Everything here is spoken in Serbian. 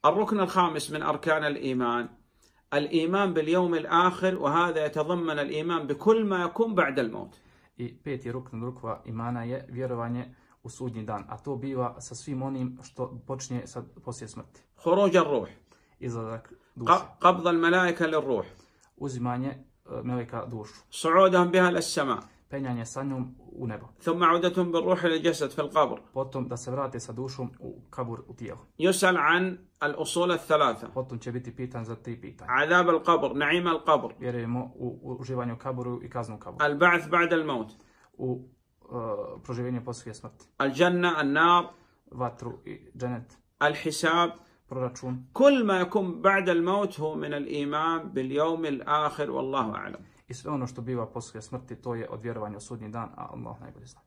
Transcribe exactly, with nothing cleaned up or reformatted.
الركن الخامس من أركان الإيمان الإيمان باليوم الآخر وهذا يتضمن الإيمان بكل ما يكون بعد الموت. I peti rukn rukva imana je vjerovanje u sudnji dan, a to biva sa svim onim što počinje sa poslije smrti. خروج الروح. Izlazak duše. قبض الملائكة للروح. Uzimanje meleka dušu. صعودهم بها للسماء. Penjanje sa njom u nebo. ثم عودتهم بالروح إلى الجسد في القبر. Potom da se vrate sa dušom u kabur u tijelo. يسأل عن الأصول الثلاثة. Potom će biti pitan za tri pitanja. عذاب القبر، نعيم القبر. Vjerujemo u uživanju u kaburu i kaznu u kaburu. البعث بعد الموت. U uh, proživljenje poslije smrti. الجنة، النار. Vatru i dženet. الحساب. Proračun. كل ما يكون بعد الموت هو من الإيمان باليوم الآخر والله أعلم. I sve ono što biva poslije smrti, to je od vjerovanja u sudnji dan, a Allah najbolje zna.